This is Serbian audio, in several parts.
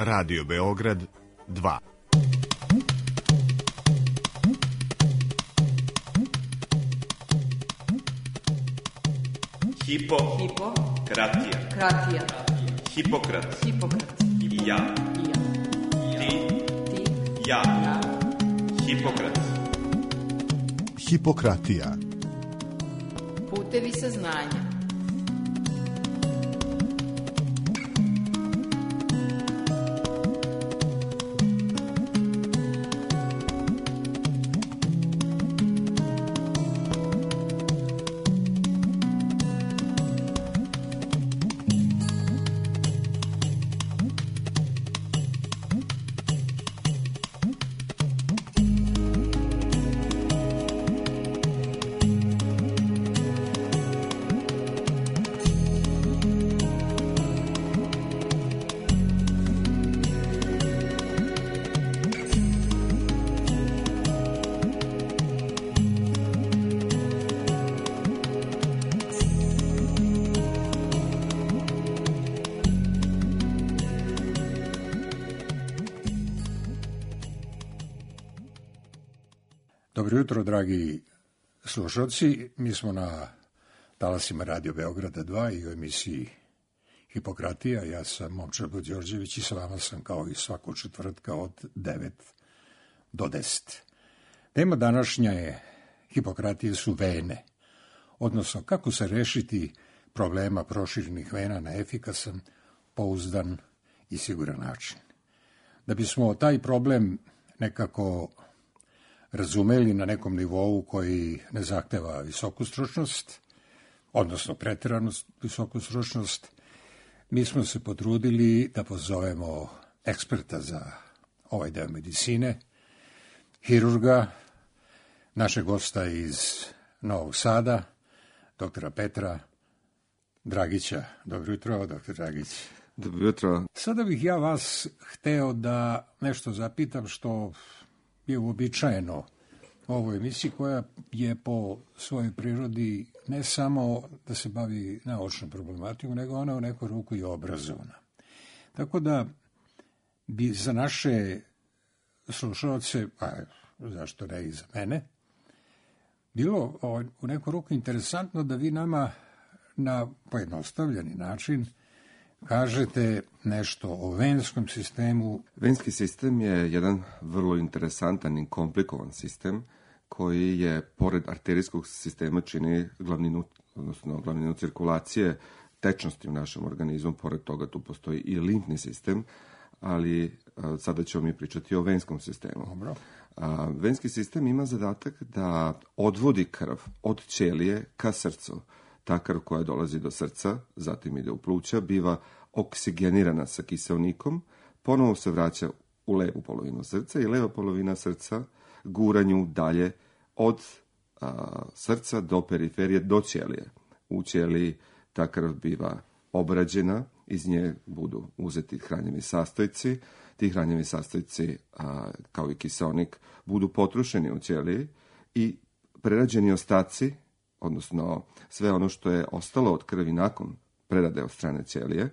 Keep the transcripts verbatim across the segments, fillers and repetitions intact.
Radio Beograd dva. Hipo, Hipo, kratija, kratija, Hipokrat, Hipokrat, i ja, i ja, ti, ti, ja, ja, Hipokrat. Hipokratija. putevi saznanja. Dobro jutro, dragi slušalci. Mi smo na talasima Radio Beograda dva i u emisiji Hipokratija. Ja sam Momčar Đorđević i sa vama sam kao i svakog četvrtka od devet do deset. Tema današnja je Hipokratije su vene, odnosno kako se rešiti problema proširenih vena na efikasan, pouzdan i siguran način. Da bismo taj problem nekako razumeli na nekom nivou koji ne zahteva visoku stručnost, odnosno preteranu visoku stručnost, mi smo se potrudili da pozovemo eksperta za ovaj deo medicine, hirurga, našeg gosta iz Novog Sada, doktora Petra Dragića. Dobro jutro, doktor Dragić. Dobro jutro. Sada bih ja vas hteo da nešto zapitam što je uobičajeno u ovoj emisiji, koja je po svojoj prirodi ne samo da se bavi naučnom problematikom, nego ona u neku ruku i obrazovna. Tako da bi za naše slušalce, a zašto ne i za mene, bilo u neku ruku interesantno da vi nama na pojednostavljeni način kažete nešto o venskom sistemu. Venski sistem je jedan vrlo interesantan i komplikovan sistem koji je, pored arterijskog sistema, čini glavninu, odnosno glavninu cirkulacije tečnosti u našem organizmu. Pored toga tu postoji i limfni sistem, ali a, sada ćemo mi pričati o venskom sistemu. Dobro. A, venski sistem ima zadatak da odvodi krv od ćelije ka srcu. Ta krv koja dolazi do srca, zatim ide u pluća, biva oksigenirana sa kiseonikom, ponovo se vraća u levu polovinu srca i leva polovina srca gura nju dalje od a, srca do periferije, do ćelije. U ćeliji ta krv biva obrađena, iz nje budu uzeti hranjivi sastojci, ti hranjivi sastojci, a, kao i kiseonik, budu potrošeni u ćeliji i prerađeni ostaci, odnosno sve ono što je ostalo od krvi nakon prerade od strane ćelije,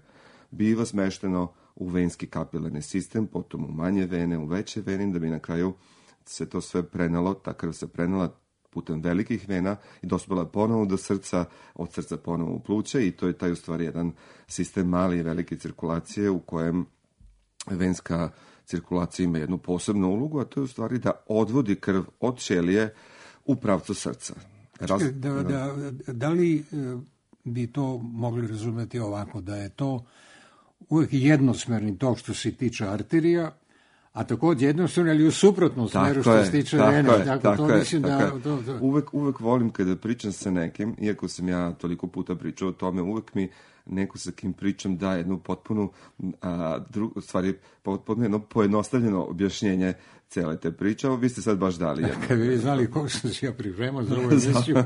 biva smešteno u venski kapilarni sistem, potom u manje vene, u veće vene, da bi na kraju se to sve prenalo, ta krv se prenala putem velikih vena i dospela ponovo do srca, od srca ponovo u pluće, i to je taj u stvari jedan sistem mali i velike cirkulacije u kojem venska cirkulacija ima jednu posebnu ulogu, a to je u stvari da odvodi krv od ćelije u pravcu srca. Raz... Da, da, da li bi to mogli razumeti ovako, da je to uvijek jednosmerni tok što se tiče arterija, a također jednostavno, ali u suprotnom smeru što se tiče vene. Tako je, tako, tako to je, mislim tako da, je. To, to... Uvek, uvek volim kada pričam sa nekim, iako sam ja toliko puta pričao o tome, uvek mi neko sa kim pričam da jednu potpunu, a, dru, stvari, potpuno jedno pojednostavljeno objašnjenje cele te priče. Vi ste sad baš dali jedno. Kad bi vi znali kako sam se ja pripremao za ovu emisiju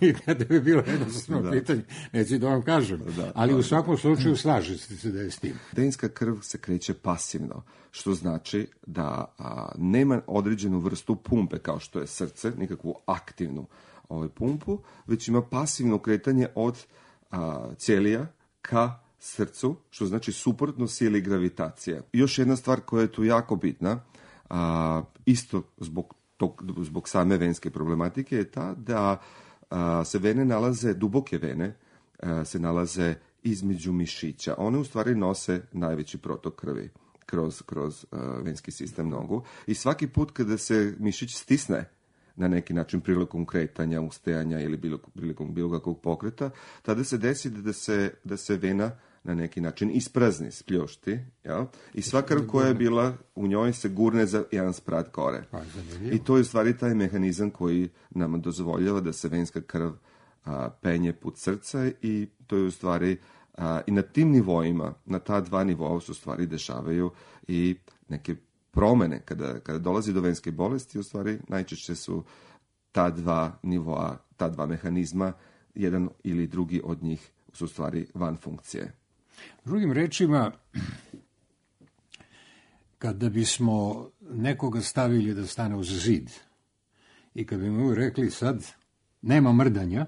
i kada bi bilo jednostavno pitanje, neću da vam kažem. Da, ali da, u svakom slučaju slažete se da je s tim. Venska krv se kreće pasivno, što znači da a, nema određenu vrstu pumpe kao što je srce, nikakvu aktivnu ovaj, pumpu, već ima pasivno kretanje od a, ćelija ka srcu, što znači suprotno sili gravitacije. Još jedna stvar koja je tu jako bitna, a, isto zbog, tog, zbog same venske problematike, je ta da a, se vene nalaze, duboke vene, a, se nalaze između mišića. One u stvari nose najveći protok krvi kroz, kroz uh, venski sistem nogu. I svaki put kada se mišić stisne na neki način prilikom kretanja, ustajanja ili bilo, prilikom bilo kakvog pokreta, tada se desi da se, da se vena na neki način isprazni, spljošti, jel? I sva krv koja je bila u njoj se gurne za jedan sprat gore. I to je u stvari taj mehanizam koji nam dozvoljava da se venska krv a, penje put srca i to je u stvari a, i na tim nivoima, na ta dva nivoa su u stvari dešavaju i neke promene. Kada, kada dolazi do venske bolesti, u stvari najčešće su ta dva nivoa, ta dva mehanizma, jedan ili drugi od njih su u stvari van funkcije. Drugim rečima, kada bismo nekoga stavili da stane uz zid i kada bi mu rekli sad nema mrdanja,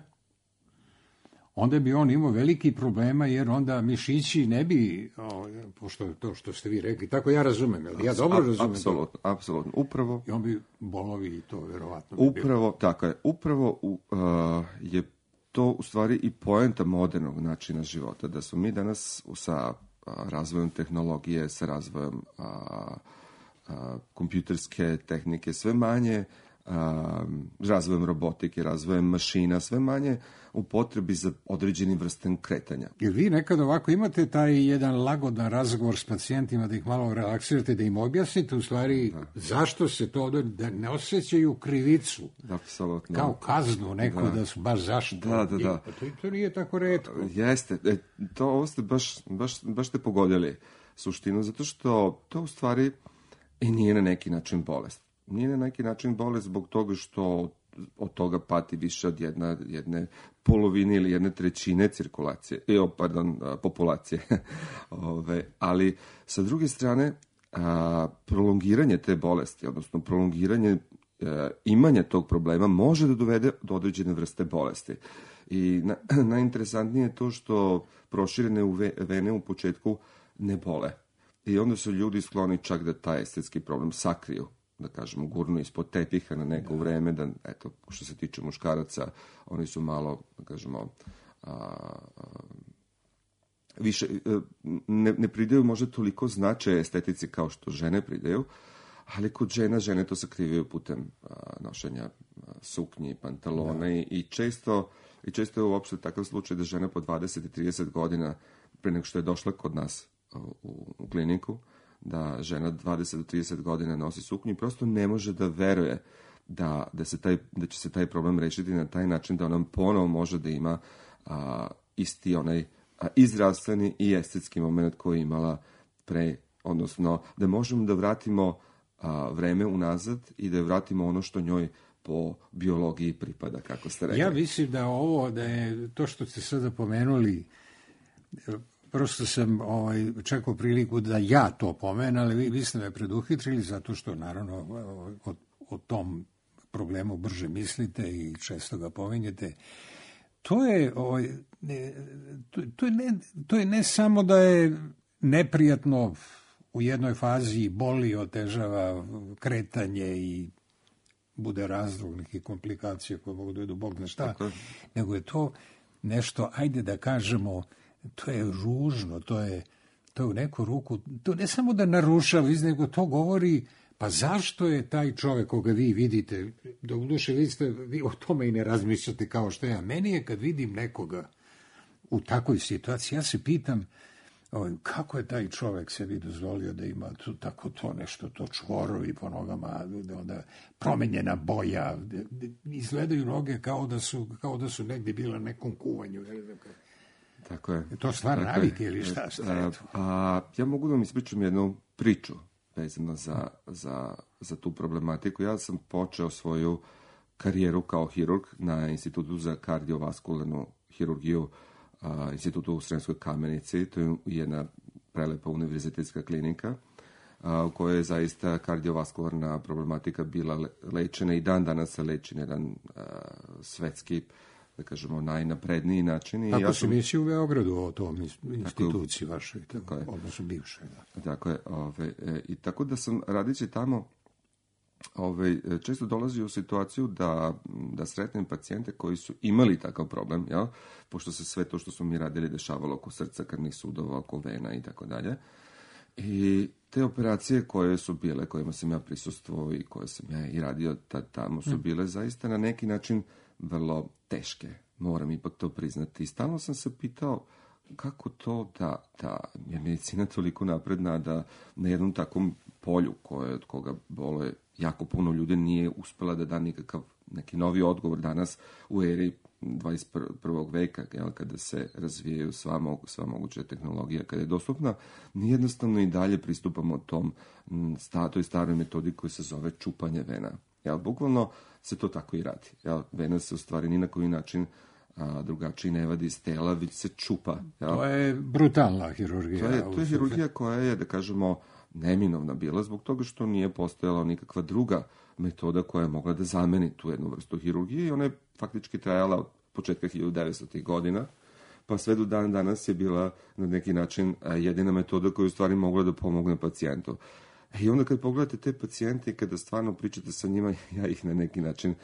onda bi on imao veliki problema, jer onda mišići ne bi, o, pošto to što ste vi rekli, tako ja razumem, ali ja dobro razumem. Apsolutno, apsolutno, upravo. I on bi bolovi i to, verovatno. Upravo, tako je, upravo uh, je to u stvari i poenta modernog načina života, da smo mi danas sa uh, razvojem tehnologije, sa razvojem uh, uh, kompjuterske tehnike, sve manje uh, razvojem robotike, razvojem mašina, sve manje u potrebi za određenim vrstem kretanja. Jer vi nekad ovako imate taj jedan lagodan razgovor s pacijentima, da ih malo relaksirate, da im objasnite u stvari da. Zašto se to, da ne osjećaju krivicu. Apsolutno. Kao kaznu neko da, da su baš zašto. Da, da, da. To, to nije tako retko. Jeste, e, to ovo ste baš, baš, baš ste pogodili suštinu, zato što to u stvari i nije na neki način bolest. Nije na neki način bolest zbog toga što od toga pati više od jedna, jedne polovine ili jedne trećine cirkulacije, e, pardon, populacije. Ove, ali sa druge strane, a, prolongiranje te bolesti, odnosno prolongiranje a, imanja tog problema može da dovede do određene vrste bolesti. I na, najinteresantnije je to što proširene u ve, vene u početku ne bole. I onda su ljudi skloni čak da taj estetski problem sakriju, da kažemo, gurnu ispod tepiha na neko da. vreme, da, eto, što se tiče muškaraca, oni su malo, da kažemo, a, a, više, ne, ne pridaju možda toliko značaja estetici kao što žene pridaju, ali kod žena, žene to sakrivaju putem a, nošenja a, suknji, pantalona i, i često, i često je uopšte takav slučaj da žena po dvadeset i trideset godina, pre nego što je došla kod nas u, u kliniku, da žena dvadeset do trideset godina nosi suknju i prosto ne može da veruje da, da, se taj, da će se taj problem rešiti na taj način da ona ponovo može da ima a, isti onaj a, i zdravstveni i estetski moment koji je imala pre, odnosno da možemo da vratimo a, vreme unazad i da vratimo ono što njoj po biologiji pripada, kako ste rekli. Ja mislim da ovo, da je to što ste sada pomenuli, prosto sam ovaj, čekao priliku da ja to pomenem, ali vi, vi ste me preduhitrili zato što, naravno, o, o tom problemu brže mislite i često ga pominjete. To je, ovaj, ne, to, to, je ne, to je ne samo da je neprijatno u jednoj fazi, boli, otežava kretanje i bude razlog nekih komplikacija koje mogu da idu Bog zna šta, tako, nego je to nešto, ajde da kažemo, to je ružno, to je, to je u neku ruku, to ne samo da narušava, nego to govori, pa zašto je taj čovjek koga vi vidite, da u duše vi, ste, vi o tome i ne razmišljate kao što ja. Meni je kad vidim nekoga u takvoj situaciji, ja se pitam, kako je taj čovjek sebi dozvolio da ima tu, tako to nešto, to čvorovi po nogama, onda promenjena boja, izgledaju noge kao da su, kao da su negdje bila na nekom kuvanju. Tako je. Je to stvar navike ili šta? šta a, a, ja mogu da vam ispričam jednu priču vezano za, za, za tu problematiku. Ja sam počeo svoju karijeru kao hirurg na Institutu za kardiovaskularnu hirurgiju, a, Institutu u Sremskoj Kamenici. To je jedna prelepa univerzitetska klinika a, u kojoj je zaista kardiovaskularna problematika bila le, lečena i dan danas se leči na jedan a, svetski da kažemo, najnapredniji način. I Tako ja se sam... misli u Beogradu o tom instituciji vašoj, tako je. odnosno bivšoj. Da. Tako je. Ove, e, I tako da sam, radići tamo, ove, često dolazi u situaciju da, da sretnem pacijente koji su imali takav problem, jel? Pošto se sve to što smo mi radili dešavalo oko srca, krvnih sudova, oko vena i tako dalje. I te operacije koje su bile, kojima sam ja prisustvovao i koje sam ja i radio tad, tamo, su bile zaista na neki način vrlo teške. Moram ipak to priznati. I stalno sam se pitao kako to da, da je medicina toliko napredna da na jednom takvom polju koje, od koga boluje jako puno ljudi nije uspela da da nikakav neki novi odgovor danas u eri dvadeset prvog veka, jel, kada se razvijaju sva, mogu, sva moguća tehnologija, kada je dostupna, mi jednostavno i dalje pristupamo tom sta, toj staroj metodi koja se zove čupanje vena. Jel, bukvalno se to tako i radi. Jel, vena se u stvari ni na koji način a, drugačiji ne vadi iz tela, već se čupa. Jel. To je brutalna hirurgija. To je, to je hirurgija koja je, da kažemo, neminovna bila zbog toga što nije postojala nikakva druga metoda koja je mogla da zameni tu jednu vrstu hirurgije i ona je faktički trajala od početka hiljadu devetstotih godina, pa sve do dan danas je bila na neki način jedina metoda koja je u stvari mogla da pomogne pacijentu. I onda kad pogledate te pacijente i kada stvarno pričate sa njima, ja ih na neki način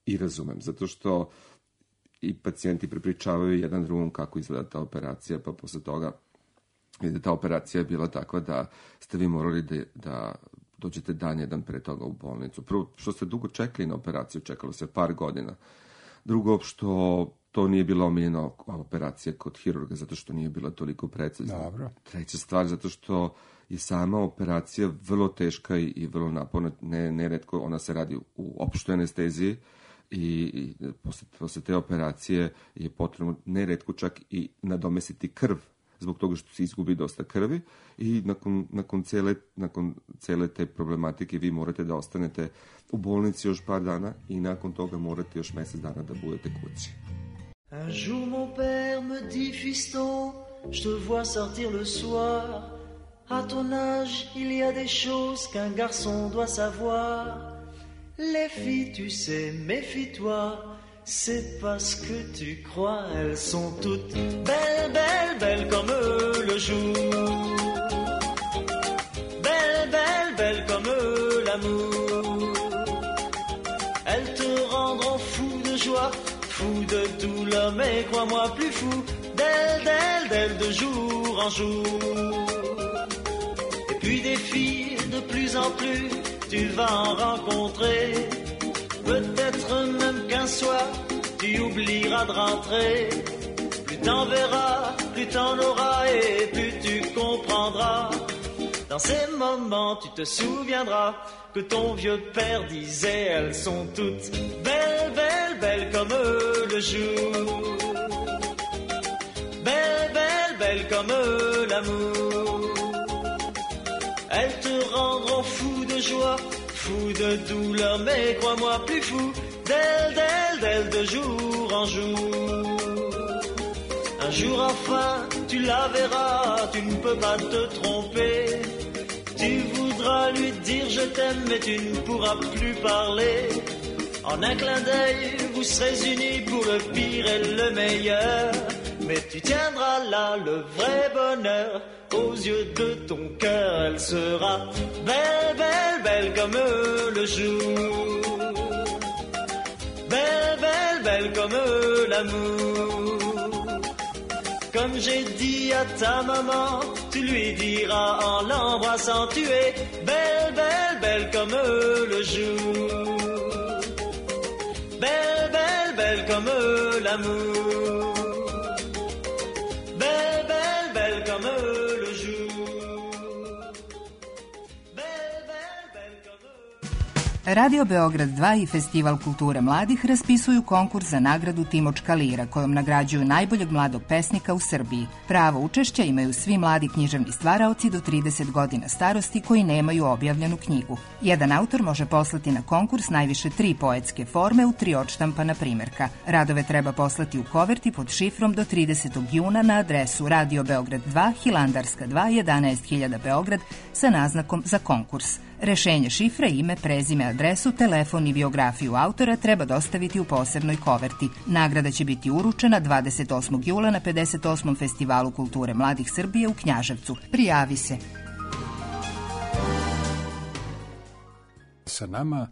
i razumem, zato što i pacijenti prepričavaju jedan drugom kako izgleda ta operacija, pa posle toga da ta operacija je bila takva da ste vi morali da, da dođete dan jedan pre toga u bolnicu. Prvo, što ste dugo čekali na operaciju, čekalo se par godina. Drugo, što to nije bila omiljena operacija kod hirurga, zato što nije bila toliko precizna. Dobro. Treća stvar, zato što je sama operacija vrlo teška i, i vrlo naporna. Ne, neretko ona se radi u opštoj anesteziji i, i posle, posle te operacije je potrebno neretko čak i nadomestiti krv zbog toga što se izgubi dosta krvi i nakon, nakon, cele, nakon cele te problematike vi morate da ostanete u bolnici još par dana i nakon toga morate još mesec dana da budete kući. Un jour mon père me dit, fiston, je te vois sortir le soir. À ton âge, il y a des choses qu'un garçon doit savoir. Les filles, tu sais, méfie-toi. C'est parce que tu crois, elles sont toutes belles, belles, belles comme le jour. Belles, belles, belles comme l'amour. Elles te rendront fou de joie, fou de douleur, mais crois-moi plus fou d'elles, d'elles, d'elles de jour en jour. Et puis des filles de plus en plus, tu vas en rencontrer. Peut-être même qu'un soir, tu oublieras de rentrer. Plus t'en verras, plus t'en auras et plus tu comprendras. Dans ces moments, tu te souviendras que ton vieux père disait, elles sont toutes belles, belles, belles comme le jour. Belles, belles, belles comme l'amour. Elles te rendront fou de joie, fou de douleur, mais crois-moi plus fou d'elle, d'elle, d'elle de jour en jour. Un jour enfin, tu la verras, tu ne peux pas te tromper. Tu voudras lui dire je t'aime, mais tu ne pourras plus parler. En un clin d'œil, vous serez unis pour le pire et le meilleur. Mais tu tiendras là le vrai bonheur. Aux yeux de ton cœur, elle sera belle, belle, belle comme le jour. Belle, belle, belle comme l'amour. Comme j'ai dit à ta maman, tu lui diras en l'embrassant, tu es belle, belle, belle comme le jour. Belle, belle, belle comme l'amour. Belle, belle, belle comme le jour. Belle, belle, belle comme... Radio Beograd dva i Festival kulture mladih raspisuju konkurs za nagradu Timočka lira, kojom nagrađuju najboljeg mladog pesnika u Srbiji. Pravo učešća imaju svi mladi književni stvaraoci do trideset godina starosti koji nemaju objavljenu knjigu. Jedan autor može poslati na konkurs najviše tri poetske forme u tri odštampana primjerka. Radove treba poslati u koverti pod šifrom do tridesetog juna na adresu Radio Beograd dva, Hilandarska dva, jedanaest hiljada Beograd sa naznakom za konkurs. Rešenje šifre, ime, prezime, adresu, telefon i biografiju autora treba dostaviti u posebnoj koverti. Nagrada će biti uručena dvadeset osmog jula na pedeset osmom Festivalu kulture mladih Srbije u Knjaževcu. Prijavi se. Sa nama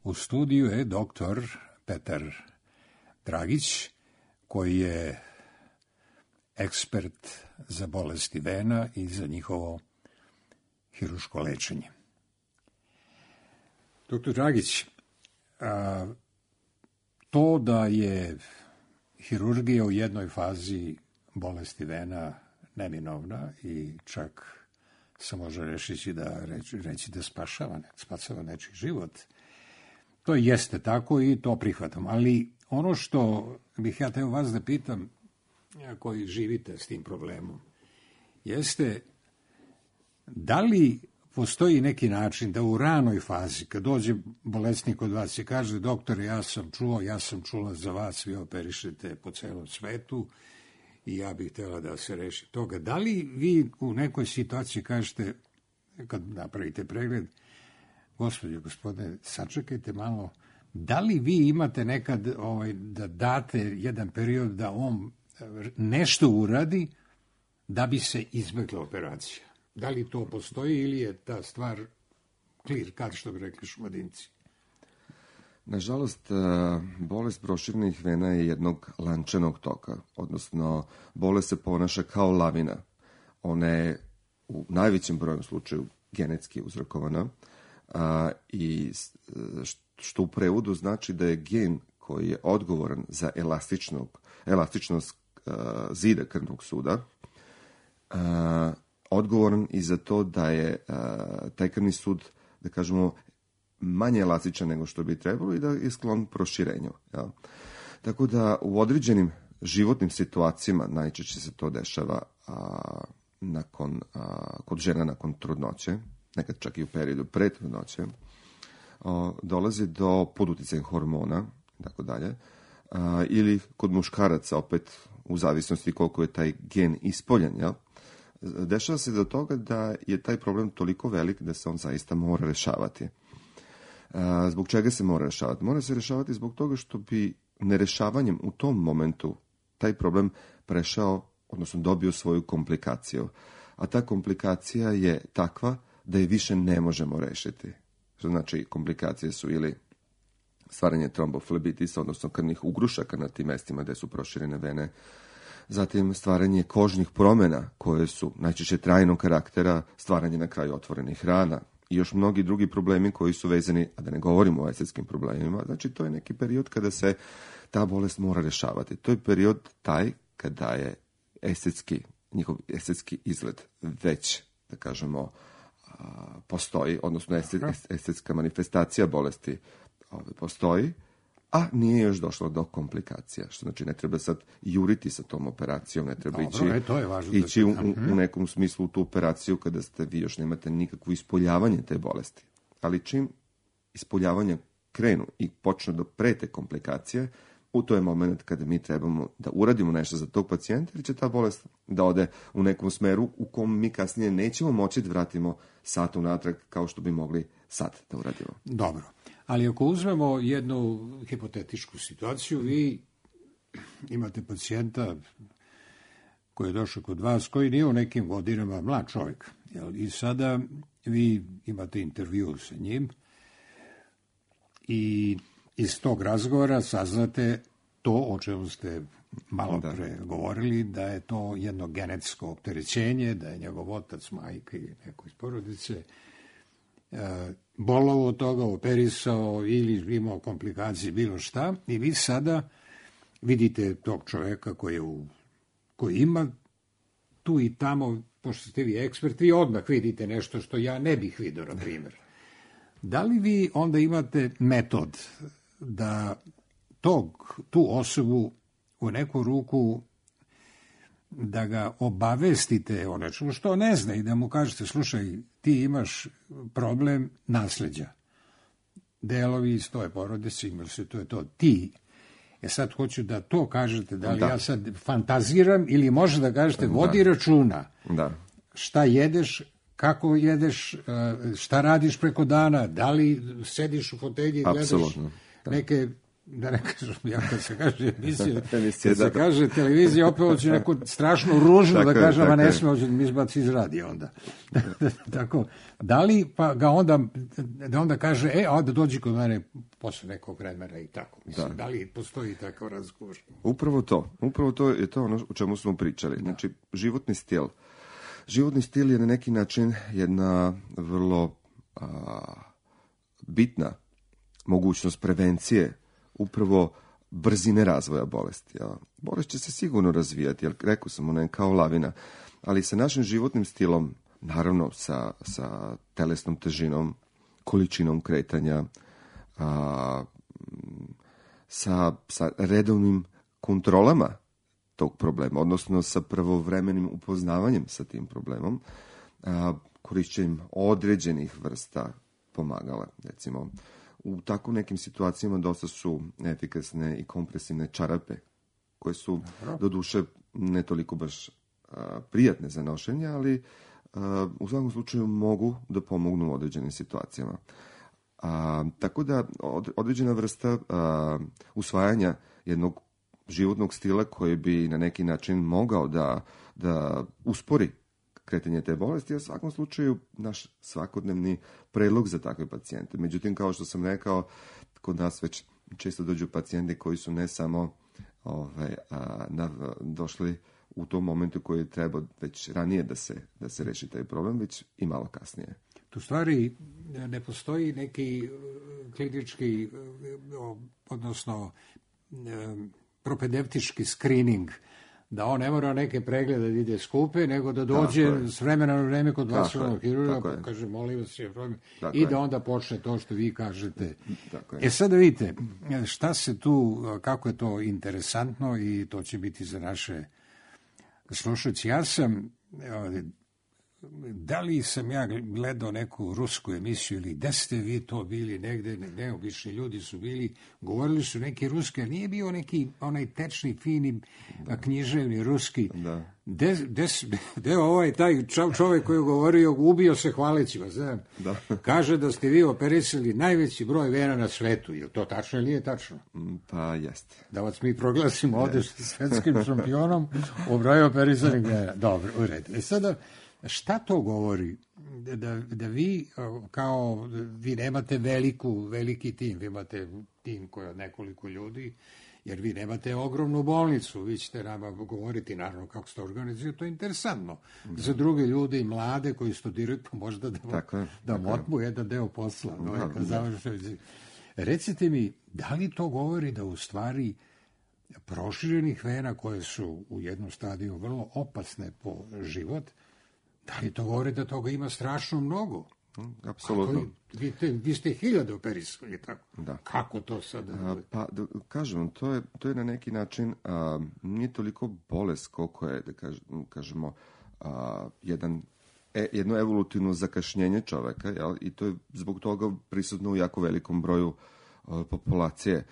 u studiju je doktor Petar Dragić, koji je ekspert za bolesti vena i za njihovo hiruško lečenje. Doktor Dragić, a, to da je hirurgija u jednoj fazi bolesti vena neminovna i čak se može reći da, reći, reći da spašava, spasava nečiji život, to jeste tako i to prihvatam. Ali ono što bih ja teo vas da pitam, koji živite s tim problemom, jeste da li postoji neki način da u ranoj fazi, kad dođe bolesnik od vas i kaže, doktore, ja sam čuo, ja sam čula za vas, vi operišete po celom svetu i ja bih htjela da se reši toga. Da li vi u nekoj situaciji kažete, kad napravite pregled, gospođo, gospodine, sačekajte malo, da li vi imate nekad ovaj, da date jedan period da on nešto uradi da bi se izbjegla operacija? Da li to postoji ili je ta stvar clear cut, što bi rekli Šumadinci? Nažalost, bolest proširenih vena je jednog lančanog toka, odnosno bolest se ponaša kao lavina. Ona je u najvećem broju slučaju genetski uzrokovana a, i što u prevodu znači da je gen koji je odgovoran za elastičnog, elastičnost a, zida krvnog suda a, odgovoran i za to da je a, taj krvni sud, da kažemo, manje elastičan nego što bi trebalo i da je sklon proširenju. Ja. Tako da u određenim životnim situacijama najčešće se to dešava a, nakon, a, kod žena nakon trudnoće, nekad čak i u periodu pre trudnoće, a, dolazi do poduticaja hormona, tako dalje, a, ili kod muškaraca opet u zavisnosti koliko je taj gen ispoljen, ja. Dešava se do toga da je taj problem toliko velik da se on zaista mora rešavati. Zbog čega se mora rešavati? Mora se rešavati zbog toga što bi nerešavanjem u tom momentu taj problem prešao, odnosno dobio svoju komplikaciju. A ta komplikacija je takva da je više ne možemo rešiti. Što znači komplikacije su ili stvaranje tromboflebitisa, odnosno krvnih ugrušaka na tim mestima gde su proširene vene, zatim stvaranje kožnih promjena koje su najčešće trajnog karaktera, stvaranje na kraju otvorenih rana i još mnogi drugi problemi koji su vezani, a da ne govorimo o estetskim problemima. Znači, to je neki period kada se ta bolest mora rešavati. To je period taj kada je estetski, njihov estetski izgled već, da kažemo, postoji, odnosno estetska manifestacija bolesti postoji, a nije još došlo do komplikacija. Što znači, ne treba sad juriti sa tom operacijom, ne treba Dobro, ići, e, to je važno ići da u, u nekom smislu u tu operaciju kada ste vi još nemate nikakvo ispoljavanje te bolesti. Ali čim ispoljavanje krenu i počne do prete komplikacije, u to je moment kada mi trebamo da uradimo nešto za tog pacijenta, jer će ta bolest da ode u nekom smeru u kom mi kasnije nećemo moći da vratimo sat unatrag kao što bi mogli sad da uradimo. Dobro. Ali ako uzmemo jednu hipotetičku situaciju, vi imate pacijenta koji je došao kod vas, koji nije u nekim godinama, mlad čovjek, jel? I sada vi imate intervju sa njim i iz tog razgovora saznate to o čemu ste malo pre govorili, da je to jedno genetsko opterećenje, da je njegov otac, majka i neko iz porodice bolovo od toga, operisao ili imao komplikacije, bilo šta, i vi sada vidite tog čovjeka koji, je u, koji ima tu i tamo, pošto ste vi ekspert, vi odmah vidite nešto što ja ne bih vidio, na primjer. Da li vi onda imate metod da tog, tu osobu u neku ruku da ga obavestite o nečemu što ne zna i da mu kažete, slušaj, ti imaš problem nasleđa. Delovi iz tvoje porodice imali se, to je to, ti. E sad hoću da to kažete, da li da. ja sad fantaziram ili može da kažete, vodi da. računa da. šta jedeš, kako jedeš, šta radiš preko dana, da li sediš u fotelji i gledaš Apsolutno, da. neke, da ne kažem, ja kad se kaže emisija, Emisija, kad se da. kaže televizija, opet hoće neko strašno ružno Tako da je, kažem, a tako ne je. sme, hoće da mi izbaci iz radija onda. Tako, da li pa ga onda, da onda kaže, e, a da dođi kod mene posle nekog vremena i tako. Mislim, da. da li postoji takav razgovor? Upravo to. Upravo to je to ono o čemu smo pričali. Znači, životni stil. Životni stil je na neki način jedna vrlo a, bitna mogućnost prevencije upravo brzine razvoja bolesti. Ja. Bolest će se sigurno razvijati, jer rekao sam, ona je kao lavina, ali sa našim životnim stilom, naravno sa, sa telesnom težinom, količinom kretanja, a, sa, sa redovnim kontrolama tog problema, odnosno sa pravovremenim upoznavanjem sa tim problemom, a, korišćenjem određenih vrsta pomagala. Recimo, u tako nekim situacijama dosta su efikasne i kompresivne čarape, koje su doduše ne toliko baš a, prijatne za nošenje, ali a, u svakom slučaju mogu da pomognu u određenim situacijama. A, tako da od, određena vrsta a, usvajanja jednog životnog stila koji bi na neki način mogao da, da uspori kretanje te bolesti, je u svakom slučaju naš svakodnevni predlog za takve pacijente. Međutim, kao što sam rekao, kod nas već često dođu pacijenti koji su ne samo ove, a, na, došli u tom momentu koji treba već ranije da se, da se reši taj problem, već i malo kasnije. Tu stvari ne postoji neki klinički, odnosno propedevtički screening, da on ne mora neke preglede da ide skupe, nego da dođe s vremena na vreme kod vaskularnog hirurga, pa kaže, molim vas, je problem, i da onda počne to što vi kažete. E sad da vidite, šta se tu, kako je to interesantno i to će biti za naše slušalce. Ja sam, da li sam ja gledao neku rusku emisiju ili gde ste vi to bili negde, neobični ljudi su bili, govorili su neki ruski, a nije bio neki onaj tečni, fini, da. književni ruski. Da. De, de, de ovaj taj čovjek koji je govorio, ubio se hvaleći vas, znam. Da. Kaže da ste vi operisali najveći broj vena na svetu. Je li to tačno ili nije tačno? Pa jeste. Da vas mi proglasimo ovdje svetskim šampionom u broju operisanih vena. Dobro, u redu. E sada, šta to govori? Da, da vi, kao, vi nemate veliku, veliki tim, vi imate tim koji je od nekoliko ljudi, jer vi nemate ogromnu bolnicu, vi ćete nama govoriti, naravno, kako ste organizirali, to je interesantno. Da. Za druge ljude i mlade koji studiraju, pa možda da, tako, da vam otmu jedan deo posla. No, da, da. Recite mi, da li to govori da u stvari proširenih vena koje su u jednom stadiju vrlo opasne po život, da li to govori da toga ima strašno mnogo? Apsolutno. Vi, te, vi ste hiljade operisali, tako? Da. Kako to sad? A, pa, da, kažem vam, to je, to je na neki način, a, nije toliko bolest koliko je, da kaž, kažemo, a, jedan, e, jedno evolutivno zakašnjenje čoveka, jel? I to je zbog toga prisutno u jako velikom broju a, populacije.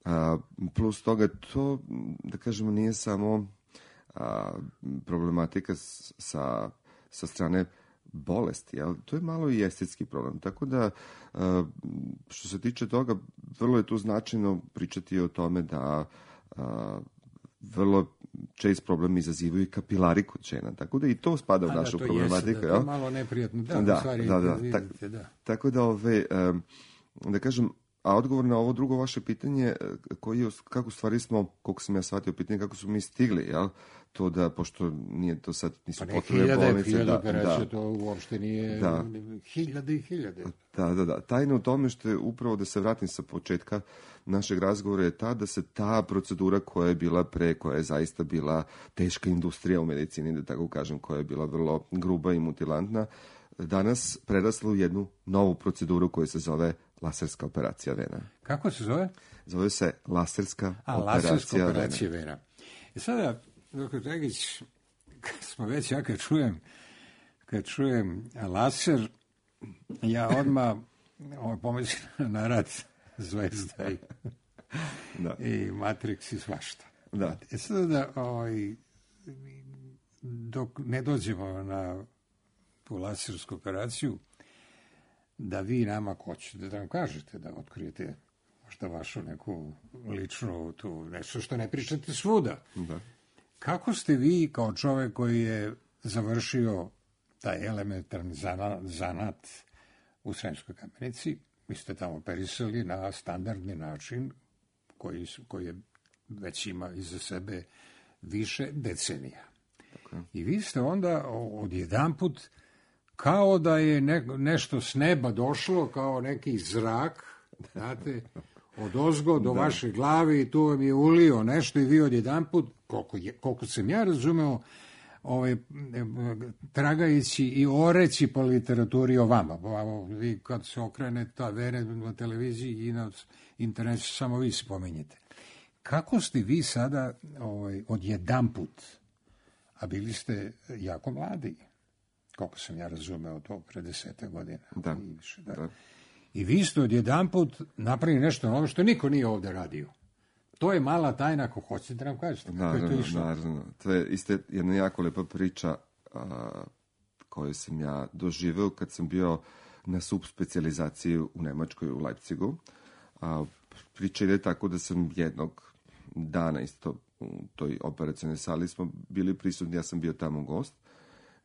A, plus toga, to, da kažemo, nije samo a, problematika s, sa, sa strane bolesti, jel? To je malo i estetski problem. Tako da, što se tiče toga, vrlo je tu značajno pričati o tome da vrlo čest problem izazivaju kapilari kod žena. Tako da i to spada u A, našu da, problematiku. Jeste, da, to je malo neprijatno. Da, da, stvari, da, da, vidite, da. Tako da, ove, da kažem, a odgovor na ovo drugo vaše pitanje, koji je, kako stvari smo, koliko sam ja shvatio pitanje, kako su mi stigli, jel? To da, pošto nije to sad, nisu pa potrebne hiljade, bolnice. Hiljade da, operacija, da. to uopšte nije Da. hiljade i hiljade. Da, da, da. Tajna u tome što je upravo, da se vratim sa početka našeg razgovora, je ta da se ta procedura koja je bila pre, koja je zaista bila teška industrija u medicini, da tako kažem, koja je bila vrlo gruba i mutilantna, danas prerasla u jednu novu proceduru koja se zove laserska operacija vena. Kako se zove? Zove se laserska A, operacija, laserska operacija vena. vena. I sada, doktor Dragić, kad smo već, ja kad čujem, kad čujem laser, ja odmah ovaj, pomislim na rad Zvezda i, da. i Matrix i svašta. Da. E sada, ovaj, dok ne dođemo na tu lasersku operaciju, da vi nama hoćete da nam kažete, da otkrijete možda vašu neku ličnu, tu, nešto što ne pričate svuda. Da. Kako ste vi, kao čovek koji je završio taj elementarni zanat, zanat u Sremskoj Kamenici, vi ste tamo operisali na standardni način koji, koji je već ima iza sebe više decenija. Tako. I vi ste onda odjedanput kao da je ne, nešto s neba došlo, kao neki zrak, znate, od ozgo do da. vaše glave i tu vam je ulio nešto i vi odjedanput, koliko, je, koliko sam ja razumeo, ovaj, tragajući i oreći po literaturi o vama. Vi kad se okrene ta vere na televiziji i na internetu, samo vi spominjete. Kako ste vi sada ovaj, odjedanput, a bili ste jako mladi, koliko sam ja razumeo to pre desete godina. Da. I, više, da. Da. I vi ste odjedanput napravili nešto novo što niko nije ovde radio. To je mala tajna, ako hoćete da nam kažete. Naravno, je to išlo? naravno. To je isto jedna jako lepa priča a, koju sam ja doživeo kad sam bio na subspecijalizaciji u Nemačkoj, u Leipzigu. A, priča ide tako da sam jednog dana isto u toj operacionoj sali smo bili prisutni, ja sam bio tamo gost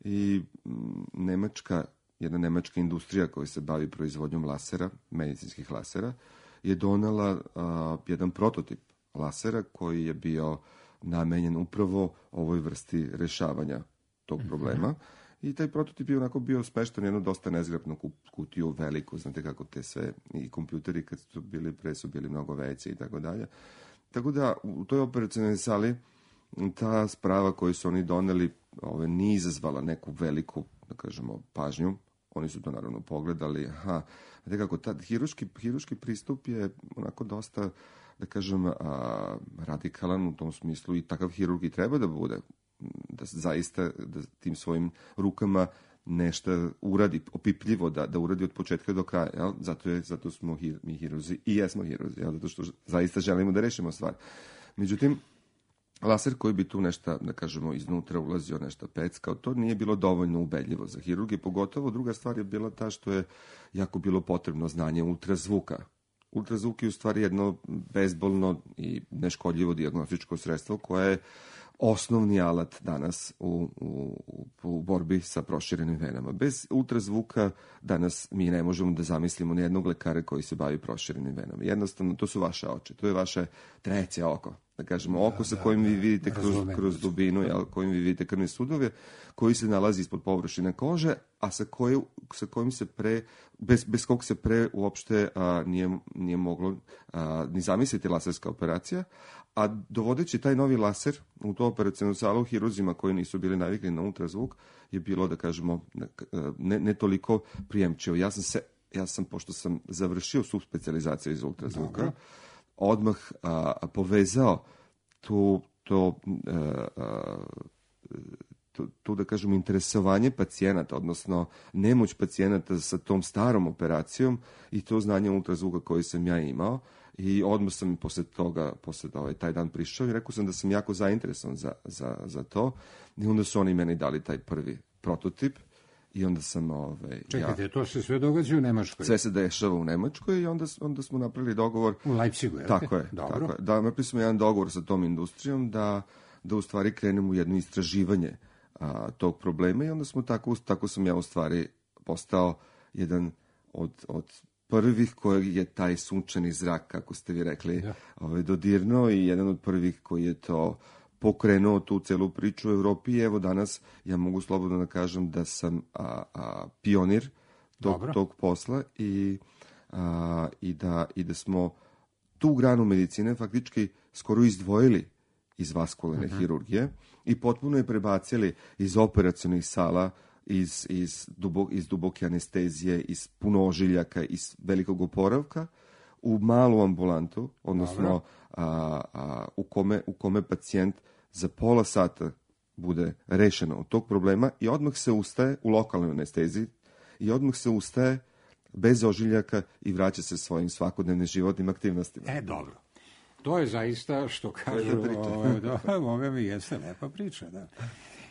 i m, Nemačka, jedna nemačka industrija koja se bavi proizvodnjom lasera, medicinskih lasera, je donela a, jedan prototip lasera koji je bio namenjen upravo ovoj vrsti rešavanja tog problema. I taj prototip je onako bio smešten u jednu dosta nezgrapnu kutiju, veliku, znate kako te sve, i kompjuteri kad su bili pre su bili mnogo veći i tako dalje. Tako da u toj operacionoj sali ta sprava koju su oni doneli ove, nije izazvala neku veliku, da kažemo, pažnju. Oni su to naravno pogledali. Aha, znate kako, ta hiruški, hiruški pristup je onako dosta, da kažem, a, radikalan u tom smislu i takav hirurg i treba da bude, da zaista da tim svojim rukama nešto uradi, opipljivo, da, da uradi od početka do kraja. Jel? Zato, je, zato smo hir, mi hirurzi i jesmo hirurzi, jel? Zato što zaista želimo da rešimo stvar. Međutim, laser koji bi tu nešto, da kažemo, iznutra ulazio nešto peckao, to nije bilo dovoljno ubedljivo za hirurge, pogotovo druga stvar je bila ta što je jako bilo potrebno znanje ultrazvuka. Ultrazvuk je u stvari jedno bezbolno i neškodljivo dijagnostičko sredstvo koje je osnovni alat danas u, u, u borbi sa proširenim venama. Bez ultrazvuka danas mi ne možemo da zamislimo nijednog lekara koji se bavi proširenim venama. Jednostavno, to su vaše oči, to je vaše treće oko. Da kažemo, oko sa kojim vi vidite kroz, kroz dubinu, jel, kojim vi vidite krvne sudove, koji se nalazi ispod površine kože, a sa, koje, sa kojim se pre, bez, bez kog se pre uopšte a, nije, nije moglo a, ni zamisliti laserska operacija, a dovodeći taj novi laser u to operacijnu salu hiruzima koji nisu bili navikli na ultrazvuk je bilo, da kažemo, ne, ne toliko prijemčivo. Ja sam se, ja sam, pošto sam završio subspecijalizaciju iz ultrazvuka, Dobro. odmah a, a, povezao tu, to, a, a, tu, tu, da kažemo, interesovanje pacijenata, odnosno nemoć pacijenata sa tom starom operacijom i to znanje ultrazvuka koje sam ja imao. I odmah sam posle toga, posle ovaj, taj dan prišao i rekao sam da sam jako zainteresovan za, za, za to. I onda su oni meni dali taj prvi prototip i onda sam... Ovaj, Čekajte, ja, to se sve događa u Nemačkoj? Sve se dešava u Nemačkoj i onda, onda smo napravili dogovor... U Leipzigu, je li? Tako je, Dobro. tako je. Da, napravili smo jedan dogovor sa tom industrijom da, da u stvari krenemo u jedno istraživanje a, tog problema i onda smo tako, tako sam ja u stvari postao jedan od... od prvih kojeg je taj sunčani zrak, kako ste vi rekli, ja. ovaj, dodirnuo i jedan od prvih koji je to pokrenuo tu celu priču u Evropi. I evo danas ja mogu slobodno da kažem da sam a, a, pionir tog, tog posla i, a, i, da, i da smo tu granu medicine faktički skoro izdvojili iz vaskularne uh-huh. hirurgije i potpuno je prebacili iz operacionih sala Iz, iz, dubok, iz duboke anestezije, iz puno ožiljaka, iz velikog oporavka, u malu ambulantu, odnosno a, a, u, kome, u kome pacijent za pola sata bude rešeno od tog problema i odmah se ustaje u lokalnoj anesteziji i odmah se ustaje bez ožiljaka i vraća se svojim svakodnevnim životnim aktivnostima. E, dobro. To je zaista, što kažu, ovo, da, ovo mi jeste lepa priča, da.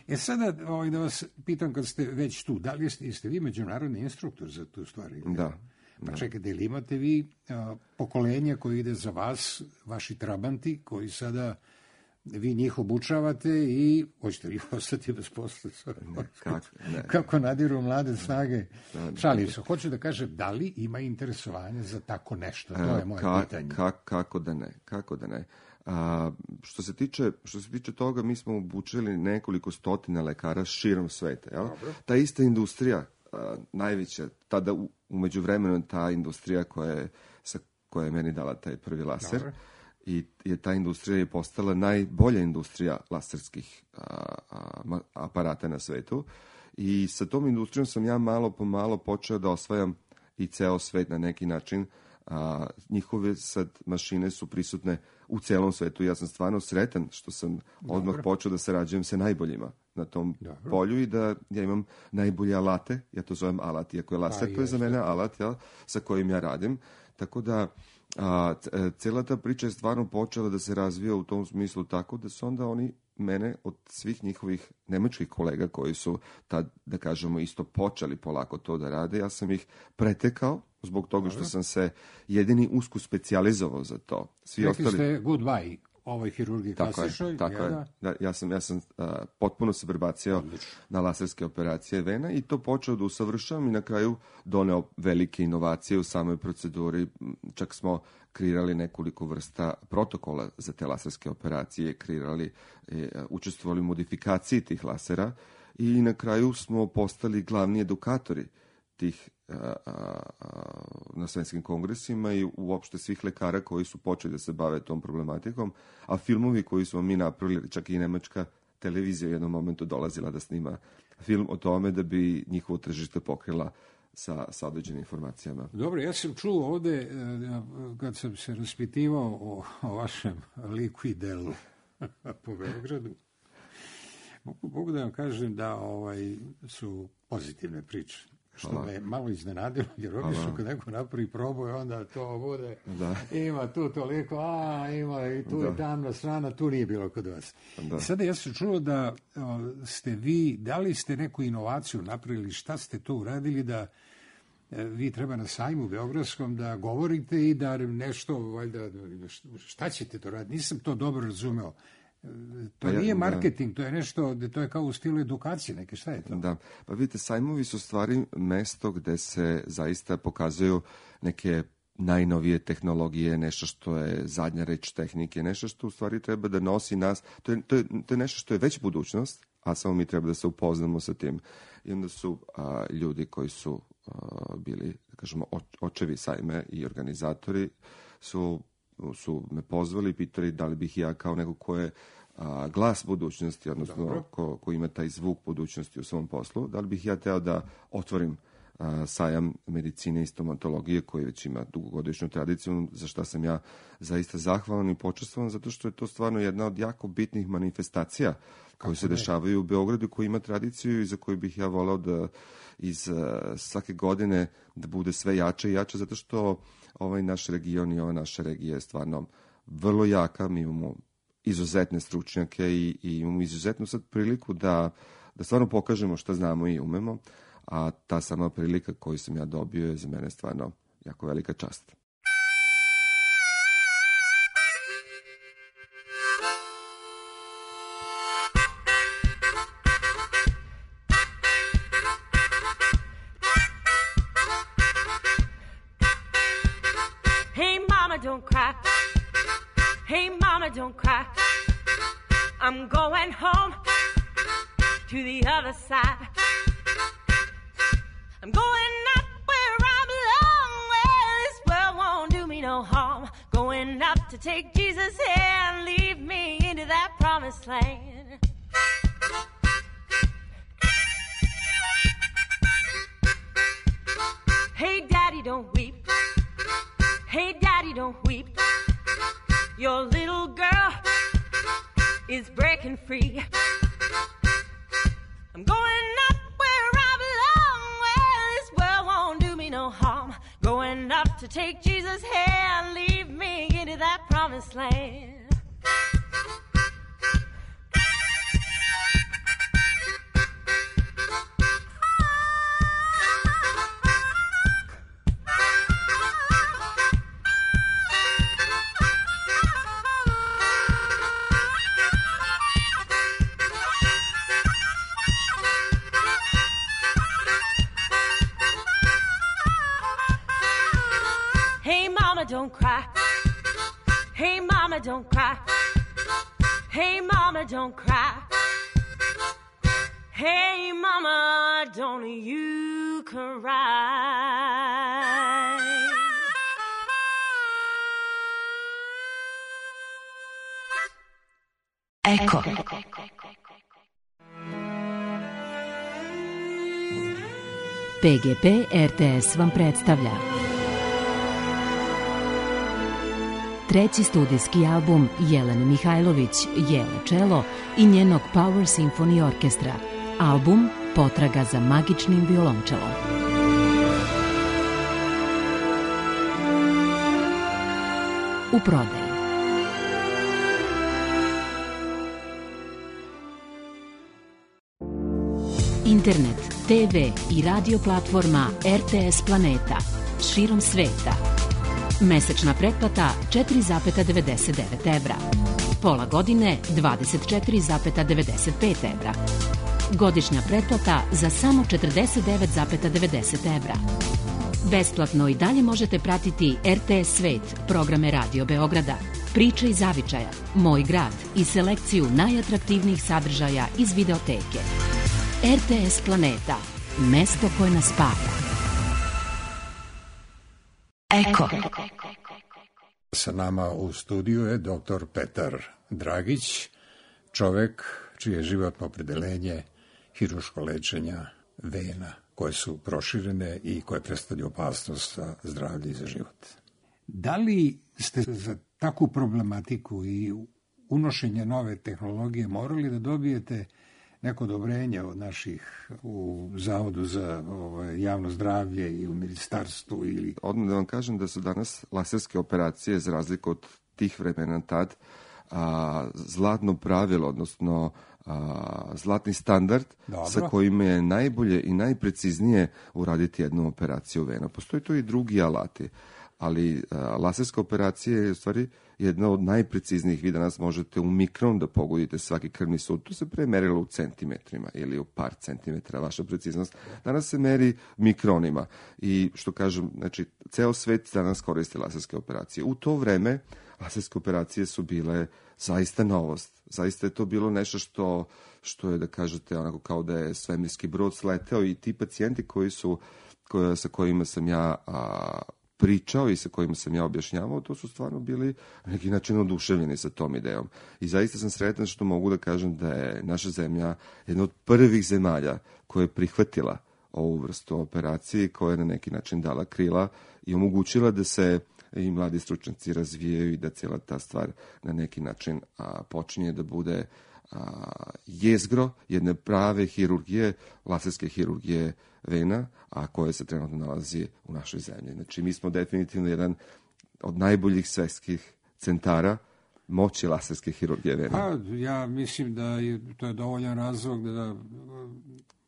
E sada, ovaj, da vas pitam, kad ste već tu, da li jeste, jeste vi međunarodni instruktor za tu stvar? Da. Pa da. čekajte, ili imate vi a, pokolenje koje ide za vas, vaši trabanti, koji sada vi njih obučavate i hoćete li ostati bez posla? Ne, kako, ne. Kako nadiru mlade snage? Da, da. Šalim se. Hoću da kažem, da li ima interesovanje za tako nešto? To je moje Ka, pitanje. Ka, kako da ne? Kako da ne? A, što se tiče što se tiče toga, mi smo obučili nekoliko stotina lekara širom sveta. Jel? Ta ista industrija, a, najveća, tada u, u međuvremenu ta industrija koja je, sa, koja je meni dala taj prvi laser, dobro. I je ta industrija je postala najbolja industrija laserskih a, a, aparata na svetu. I sa tom industrijom sam ja malo po malo počeo da osvajam i ceo svet na neki način. A, njihove sad mašine su prisutne u celom svetu. Ja sam stvarno sretan što sam dobro. odmah počeo da sarađujem sa najboljima na tom dobro. polju i da ja imam najbolje alate. Ja to zovem alat, iako je laser, to je za mene alat, jel, sa kojim ja radim. Tako da a, cela ta priča je stvarno počela da se razvija u tom smislu tako da su onda oni mene od svih njihovih nemačkih kolega koji su tad, da kažemo, isto počeli polako to da rade, ja sam ih pretekao zbog toga što sam se jedini usko specijalizovao za to. Svi Rekli ostali... ste goodbye ovoj hirurgiji klasičnoj. Tako je, da, ja sam, ja sam uh, potpuno se prebacio Odlično. na laserske operacije vena i to počeo da usavršavam i na kraju doneo velike inovacije u samoj proceduri. Čak smo kreirali nekoliko vrsta protokola za te laserske operacije, kreirali, e, učestvovali u modifikaciji tih lasera i na kraju smo postali glavni edukatori tih a, a, a, na svetskim kongresima i uopšte svih lekara koji su počeli da se bave tom problematikom, a filmovi koji smo mi napravili, čak i nemačka televizija u jednom momentu dolazila da snima film o tome da bi njihovo tržište pokrila sa, sa određenim informacijama. Dobro, ja sam čuo ovde, kad sam se raspitivao o, o vašem liku i delu po Beogradu, mogu, mogu da vam kažem da ovaj, su pozitivne priče. Što Hvala. me malo iznenadilo, jer obično kad neko napravi proboj, onda to bude, da. ima tu toliko, a ima i tu da. je tamna strana, tu nije bilo kod vas. Da. Sada ja sam čuo da o, ste vi, da li ste neku inovaciju napravili, šta ste to uradili da e, vi treba na sajmu Beogradskom da govorite i da nešto, valjda, šta ćete to raditi? Nisam to dobro razumeo. To nije marketing, to je nešto, to je kao u stilu edukacije neke, šta je to? Da, pa vidite, sajmovi su stvari mesto gde se zaista pokazuju neke najnovije tehnologije, nešto što je zadnja reč tehnike, nešto što u stvari treba da nosi nas, to je, to je, to je nešto što je već budućnost, a samo mi treba da se upoznamo sa tim. I onda su a, ljudi koji su a, bili, da kažemo, očevi sajme i organizatori su su me pozvali i pitali da li bih ja kao neko ko je a, glas budućnosti, odnosno ko, ko ima taj zvuk budućnosti u svom poslu, da li bih ja teo da otvorim a, sajam medicine i stomatologije koji već ima dugogodišnju tradiciju, za šta sam ja zaista zahvalan i počastvovan, zato što je to stvarno jedna od jako bitnih manifestacija koje se dešavaju u Beogradu, koji ima tradiciju i za koju bih ja volao da iz a, svake godine da bude sve jače i jače, zato što ovaj naš region i ova naša regija je stvarno vrlo jaka, mi imamo izuzetne stručnjake i, i imamo izuzetnu sad priliku da, da stvarno pokažemo šta znamo i umemo, a ta sama prilika koju sam ja dobio je za mene stvarno jako velika čast. Don't cry. Hey, mama, don't cry. I'm going home to the other side. I'm going up where I belong, where this world won't do me no harm. Going up to take Jesus' hand, lead me into that promised land. Hey, daddy, don't weep. Hey, daddy, don't weep. Your little girl is breaking free. I'm going up where I belong, where this world won't do me no harm. Going up to take Jesus' hand, lead me into that promised land. Hey, mama, don't cry. Hey, mama, don't cry. Hey, mama, don't cry. Hey, mama, don't you cry. Eko. P G P R T S vam predstavlja treći studijski album Jelene Mihajlović, Jele Čelo i njenog Power Symphony Orkestra. Album Potraga za magičnim violončelom. U prodaji. Internet, te ve i radio platforma R T S Planeta širom sveta. Mesečna pretplata četiri zarez devedeset devet evra. Pola godine dvadeset četiri zarez devedeset pet evra. Godišnja pretplata za samo četrdeset devet zarez devedeset evra. Besplatno i dalje možete pratiti R T S Svet, programe Radio Beograda, Priče iz Zavičaja, Moj grad i selekciju najatraktivnijih sadržaja iz videoteke. R T S Planeta, mesto koje nas spaja. Eko. Sa nama u studiju je doktor Petar Dragić, čovek čije je životno opredeljenje hirurško lečenja vena koje su proširene i koje predstavljaju opasnost za zdravlje i za život. Da li ste za takvu problematiku i unošenje nove tehnologije morali da dobijete neko odobrenje od naših u Zavodu za ovaj, javno zdravlje i u ministarstvu? Ili... Odmah da vam kažem da su danas laserske operacije, za razliku od tih vremena tad, a, zlatno pravilo, odnosno a, zlatni standard. Dobro. Sa kojim je najbolje i najpreciznije uraditi jednu operaciju vena. Postoji tu i drugi alati, ali a, laserska operacija je u stvari jedna od najpreciznijih. Vi danas možete u mikron da pogodite svaki krvni sud. To se pre merilo u centimetrima ili u par centimetra, vaša preciznost. Danas se meri mikronima i što kažem, znači, ceo svet danas koristi laserske operacije. U to vreme laserske operacije su bile zaista novost. Zaista je to bilo nešto što, što je, da kažete, onako kao da je svemirski brod sleteo i ti pacijenti koji su, koja, sa kojima sam ja a, pričao i sa kojima sam ja objašnjavao, to su stvarno bili na neki način oduševljeni sa tom idejom. I zaista sam sretan što mogu da kažem da je naša zemlja jedna od prvih zemalja koja je prihvatila ovu vrstu operacije, koja je na neki način dala krila i omogućila da se i mladi stručnjaci razvijaju i da cijela ta stvar na neki način a, počinje da bude a, jezgro jedne prave hirurgije, laserske hirurgije vena, a koje se trenutno nalazi u našoj zemlji. Znači, mi smo definitivno jedan od najboljih svetskih centara moći laserske hirurgije vena. Pa, ja mislim da je to je dovoljan razlog da, da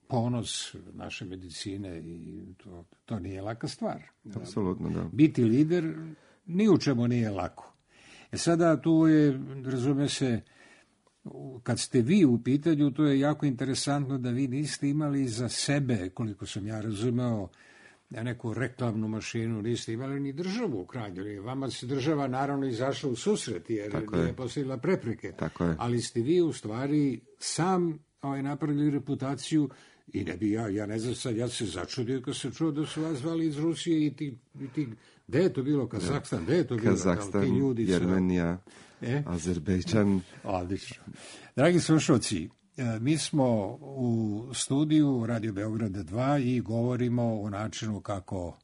ponos naše medicine i to, to nije laka stvar. Apsolutno, da. Biti lider ni u čemu nije lako. E sada tu je, razume se, kad ste vi u pitanju, to je jako interesantno da vi niste imali za sebe, koliko sam ja razumeo, neku reklamnu mašinu, niste imali ni državu u krajnjoj. Vama se država naravno izašla u susret jer Tako nije je. postavila prepreke. Tako je. Ali ste vi u stvari sam ovaj, napravili reputaciju i ne bi ja, ja ne znam sad, ja se začudio kad sam čuo da su vas zvali iz Rusije i ti, i ti gde je to bilo, Kazahstan, gde je to bilo? Kazahstan, ti ljudi su... Jermenija, E? Azerbejdžan. Odlično. Dragi slušalci, mi smo u studiju Radio Beograda dva i govorimo o načinu kako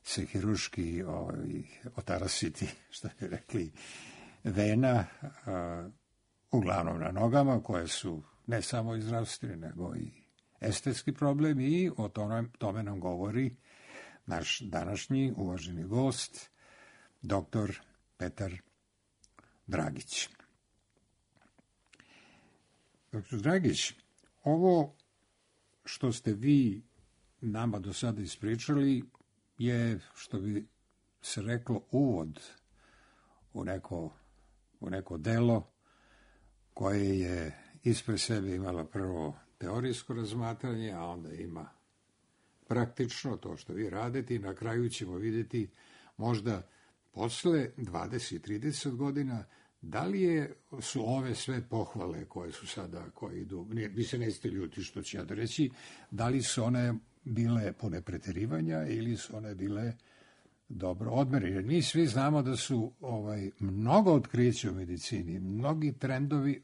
se hirurški ovaj, otarasiti, što bi rekli, vena, a, uglavnom na nogama, koje su ne samo i zdravstveni, nego i estetski problem, i o tome, tome nam govori naš današnji uvaženi gost, doktor Petar Dragić. Doktor Dragić, ovo što ste vi nama do sada ispričali je, što bi se reklo, uvod u neko, u neko delo koje je ispred sebe imalo prvo teorijsko razmatranje, a onda ima praktično to što vi radite i na kraju ćemo vidjeti možda posle dvadeset trideset godina, da li je, su ove sve pohvale koje su sada, koje idu, ne, vi se nećete ljuti što ću ja da reći, da li su one bile pune preterivanja ili su one bile dobro odmere? Jer mi svi znamo da su ovaj, mnogo otkrića u medicini, mnogi trendovi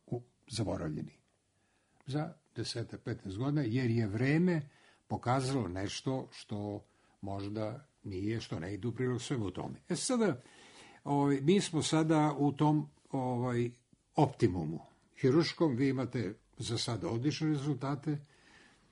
u, zaboravljeni za deset do petnaest godina, jer je vreme pokazalo nešto što možda nije, što ne ide u prilog svemu tome. E sada, ovaj, mi smo sada u tom ovaj, optimumu hiruškom, vi imate za sada odlične rezultate,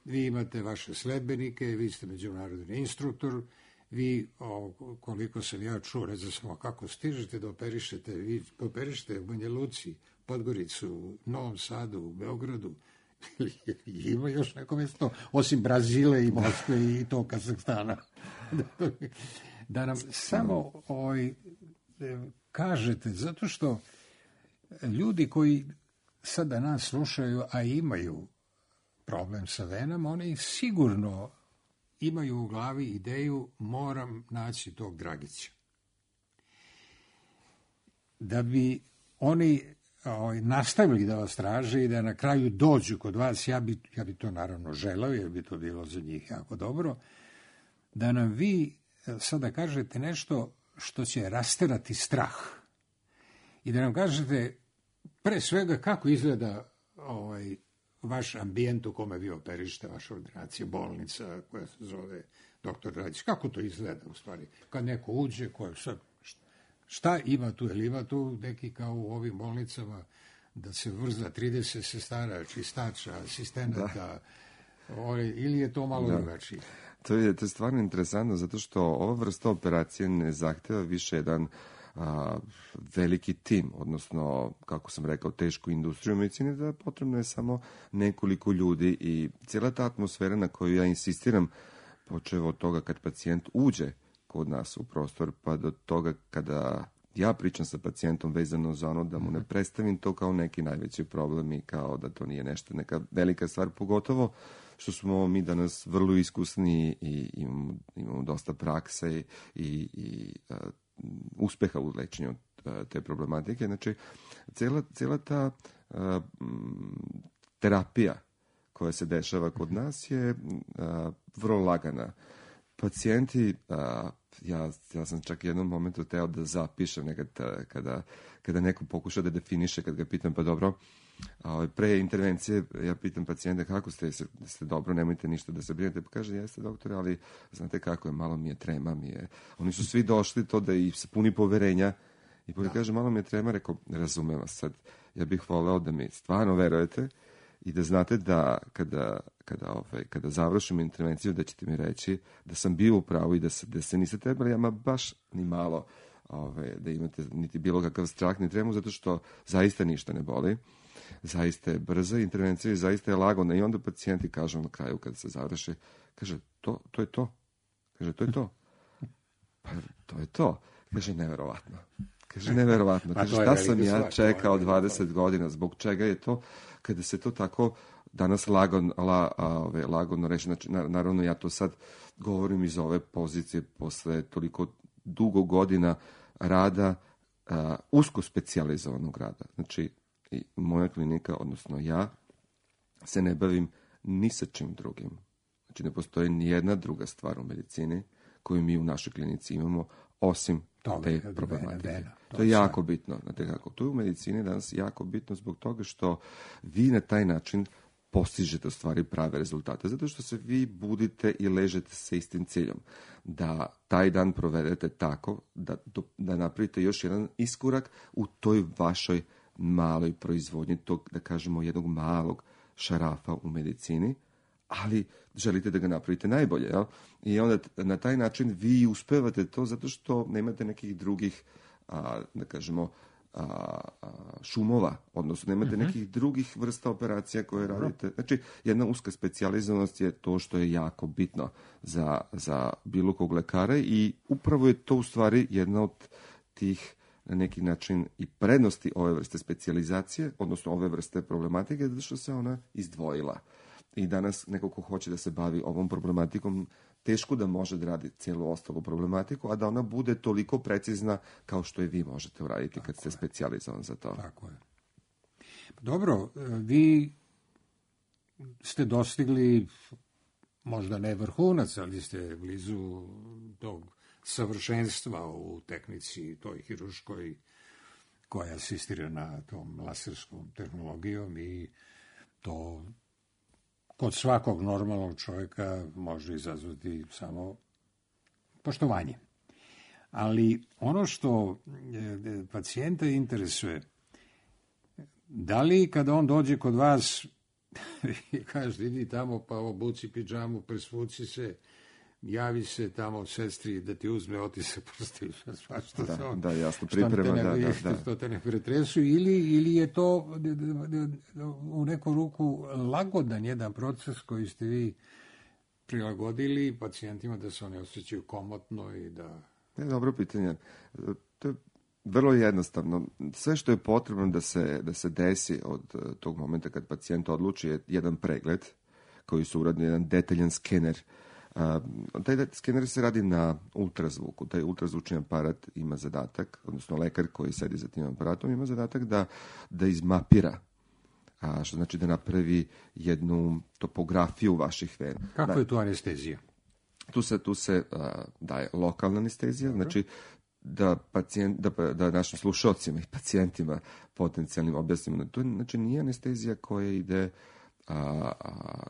vi imate vaše sledbenike, vi ste međunarodni instruktor, vi, o, koliko sam ja čuo, ne znam samo kako stižete da operišete, vi operišete u Banja Luci, Podgoricu, Novom Sadu, u Beogradu, ima još neko mjesto, osim Brazile i Moskve i to Kazahstana. Da nam samo ovaj, kažete, zato što ljudi koji sada nas slušaju, a imaju problem sa venama, oni sigurno imaju u glavi ideju moram naći tog Dragića. Da bi oni ovaj, nastavili da vas traže i da na kraju dođu kod vas, ja bi, ja bi to naravno želeo, jer bi to bilo za njih jako dobro, da nam vi sada kažete nešto što će rasterati strah. I da nam kažete pre svega kako izgleda ovaj, vaš ambijent u kome vi operište, vaša ordinacija, bolnica koja se zove doktor Dragić. Kako to izgleda u stvari? Kad neko uđe, koje sad, šta ima tu? Ili ima tu neki kao u ovim bolnicama da se vrza trideset sestara, čistača, asistenata, ovaj, ili je to malo drugačije? To je, to je stvarno interesantno, zato što ova vrsta operacije ne zahteva više jedan a, veliki tim, odnosno, kako sam rekao, tešku industriju medicine, da potrebno je samo nekoliko ljudi i cijela ta atmosfera na koju ja insistiram, počev od toga kad pacijent uđe kod nas u prostor, pa do toga kada ja pričam sa pacijentom vezano za ono da mu ne predstavim to kao neki najveći problem i kao da to nije nešto, neka velika stvar, pogotovo što smo mi danas vrlo iskusni i imamo, imamo dosta prakse i, i, i uh, uspeha u lečenju uh, te problematike. Znači, cijela, cijela ta uh, terapija koja se dešava kod nas je uh, vrlo lagana. Pacijenti, uh, ja, ja sam čak jednom momentu teo da zapišem nekad kada, kada neko pokuša da definiše, kad ga pitam, pa dobro, a pre intervencije ja pitam pacijenta kako ste, ste dobro, nemojte ništa da se brinete, pa kaže, jeste doktore, ali znate kako je, malo mi je trema, mi je. Oni su svi došli to da i se puni poverenja i pa kaže, malo mi je trema, rekao, razumem vas sad, ja bih voleo da mi stvarno verujete i da znate da kada, kada, ovaj, kada završim intervenciju da ćete mi reći da sam bio u pravu i da se, da se niste trebali, ama baš ni malo ovaj, da imate niti bilo kakav strah ni tremu, zato što zaista ništa ne boli. Zaista je brza intervencija i zaista je lagona. I onda pacijenti kažu na kraju kada se završi, kaže, to, to je to. Kaže, to je to. Pa, to je to. Kaže, neverovatno. Kaže, neverovatno. Kaže, šta sam ja čekao dvadeset godina, zbog čega je to, kada se to tako danas lagon, la, ove, lagodno reći. Znači, naravno, ja to sad govorim iz ove pozicije posle toliko dugo godina rada, a, usko specijalizovanog rada. Znači, i moja klinika, odnosno ja, se ne bavim ni sa čim drugim. Znači, ne postoji ni jedna druga stvar u medicini koju mi u našoj klinici imamo, osim te problematike. To je jako bitno. Znate kako? To je u medicini danas jako bitno zbog toga što vi na taj način postižete u stvari prave rezultate. Zato što se vi budite i ležete sa istim ciljom. Da taj dan provedete tako da, da napravite još jedan iskorak u toj vašoj maloj proizvodnji, tog, da kažemo, jednog malog šarafa u medicini, ali želite da ga napravite najbolje. Jel? I onda na taj način vi uspevate to zato što nemate nekih drugih, a, da kažemo, a, a, šumova, odnosno nemate uh-huh. nekih drugih vrsta operacija koje uh-huh. radite. Znači, jedna uska specijalizovanost je to što je jako bitno za, za bilo kog lekara i upravo je to u stvari jedna od tih na neki način i prednosti ove vrste specijalizacije, odnosno ove vrste problematike, zato što se ona izdvojila. I danas neko ko hoće da se bavi ovom problematikom teško da može da radi cijelu ostalu problematiku, a da ona bude toliko precizna kao što je vi možete uraditi Tako kad ste je. specijalizovan za to. Tako je. Dobro, vi ste dostigli možda ne vrhunac, ali ste blizu tog savršenstva u tehnici toj hiruškoj koja asistira na tom laserskom tehnologijom i to kod svakog normalnog čovjeka može izazvati samo poštovanje. Ali ono što e, pacijenta interesuje, da li kada on dođe kod vas i kaže idi tamo pa obuci pidžamu, presvuci se, javi se tamo sestri da ti uzme otisak prsti, svašta Da, se on, da, jasno, što te priprema, ne, da, da, što, da. što te ne pretresu, ili, ili je to d- d- d- u neku ruku lagodan jedan proces koji ste vi prilagodili pacijentima da se oni osjećaju komotno i da... Ne, dobro pitanje. To je vrlo jednostavno. Sve što je potrebno da se, da se desi od eh, tog momenta kad pacijent odluči je jedan pregled koji su uradni, jedan detaljan skener. A, taj det- skener se radi na ultrazvuku. Taj ultrazvučni aparat ima zadatak, odnosno lekar koji sedi za tim aparatom ima zadatak da, da izmapira, a, što znači da napravi jednu topografiju vaših vena. Kako Da- je tu anestezija? Tu se, tu se a, daje lokalna anestezija, znači da, pacijent, da, da našim slušalcima i pacijentima potencijalnim objasnimo. To je, znači, nije anestezija koja ide, a, a,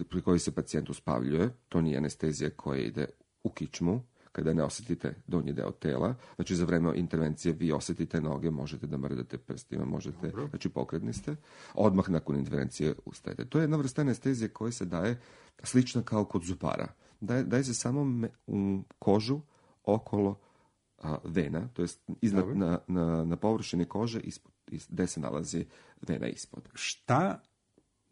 pri kojoj se pacijent uspavljuje, to nije anestezija koja ide u kičmu, kada ne osjetite donji deo tela. Znači, za vreme intervencije vi osjetite noge, možete da mrdate prstima, možete, Dobro. znači pokretni ste. Odmah nakon intervencije ustajete. To je jedna vrsta anestezije koja se daje slična kao kod zubara. Daje, daje se samo me- u kožu okolo a, vena, to jest iznad, Dobro. na, na, na površini kože ispod, is- gde se nalazi vena ispod. Šta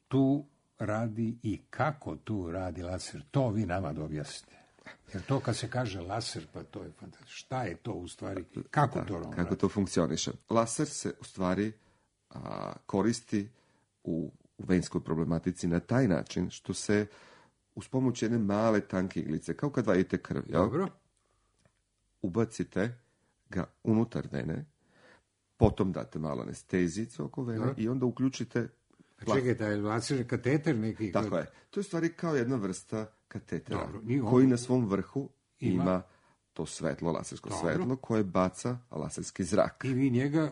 tu radi i kako tu radi laser? To vi nama da objasnite. Jer to kad se kaže laser, pa to je fantastično. Šta je to u stvari? Kako to on Kako radi? to funkcioniše? Laser se u stvari a, koristi u, u venskoj problematici na taj način što se uz pomoć jedne male tanke iglice, kao kad vadite krv, jel? Dobro. Ubacite ga unutar vene, potom date malo anestezijicu oko vene Dobro. i onda uključite... A čekaj, taj laser je kateter neki? Tako je. To je u stvari kao jedna vrsta katetera, Dobro, i on- koji na svom vrhu Ima- ima, to svetlo, lasersko Dobro. svetlo, koje baca laserski zrak. I vi njega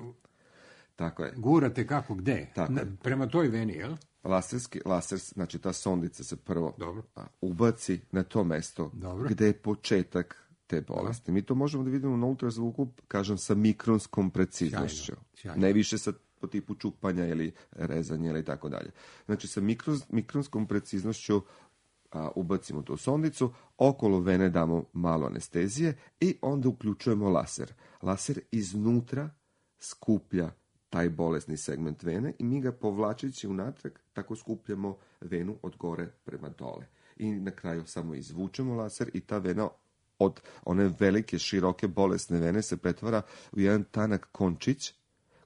Tako je. gurate kako, gde? Tako Na- je. prema toj veni, jel? Laserski, laser, znači ta sondica se prvo Dobro. a, ubaci na to mesto Dobro. gde je početak te bolesti. Mi to možemo da vidimo na ultrazvuku, kažem, sa mikronskom preciznošću. Sjajno, sjajno. Ne više sa po tipu čupanja ili rezanja ili tako dalje. Znači, sa mikros, mikronskom preciznošću a, ubacimo tu sondicu, okolo vene damo malo anestezije i onda uključujemo laser. Laser iznutra skuplja taj bolesni segment vene i mi ga povlačeći unatrag tako skupljamo venu od gore prema dole. I na kraju samo izvučemo laser i ta vena od one velike, široke, bolesne vene se pretvara u jedan tanak končić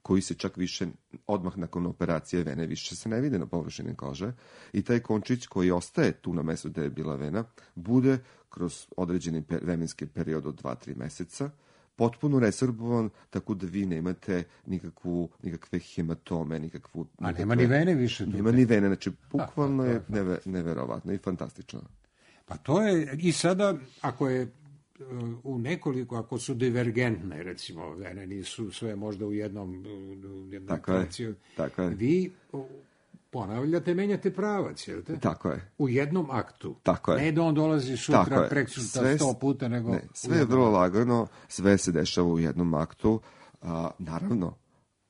koji se čak više, odmah nakon operacije vene, više se ne vide na površini kože. I taj končić koji ostaje tu na mestu gde je bila vena, bude kroz određeni per, vremenski period od dva do tri meseca potpuno resorbovan, tako da vi nemate nikakvu, nikakve hematome, nikakvu... A nikakve- nema ni vene više tu. Nema ni vene, znači bukvalno to je je neve, neverovatno i fantastično. Pa to je, i sada, ako je uh, u nekoliko, ako su divergentne, recimo, vene nisu sve možda u jednom, u jednom Tako je, pravcu, tako je. vi uh, ponavljate, menjate pravac, jel te? Tako je. U jednom aktu. Tako je. Ne da on dolazi Tako sutra, je. prek sutra, Sve s- sto puta, nego... Ne, u sve je jednom vrlo aktu. lagano, sve se dešava u jednom aktu. A, naravno,